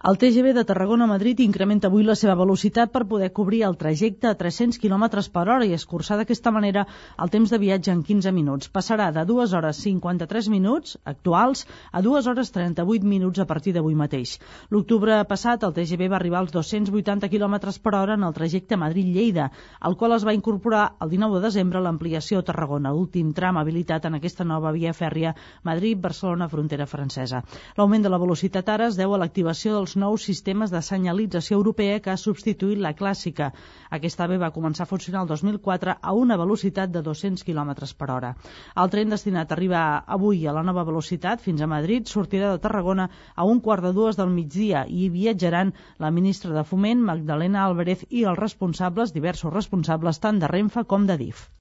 El TGV de Tarragona-Madrid incrementa avui la seva velocitat per poder cobrir el trajecte a 300 km per hora i escurçar d'aquesta manera el temps de viatge en 15 minuts. Passarà de 2 hores 53 minuts actuals a 2 hores 38 minuts a partir d'avui mateix. L'octubre passat el TGV va arribar als 280 km per hora en el trajecte Madrid-Lleida, al qual es va incorporar el 19 de desembre l'ampliació a Tarragona, últim tram habilitat en aquesta nova via fèrria Madrid-Barcelona frontera francesa. L'augment de la velocitat ara es deu a l'activació dels nous sistemes de senyalització europea que ha substituït la clàssica. Aquesta AVE va començar a funcionar el 2004 a una velocitat de 200 km per hora. El tren destinat a arribar avui a la nova velocitat fins a Madrid sortirà de Tarragona a 1:45 del migdia i hi viatjaran la ministra de Foment, Magdalena Álvarez, i els responsables, diversos responsables, tant de Renfe com de DIF.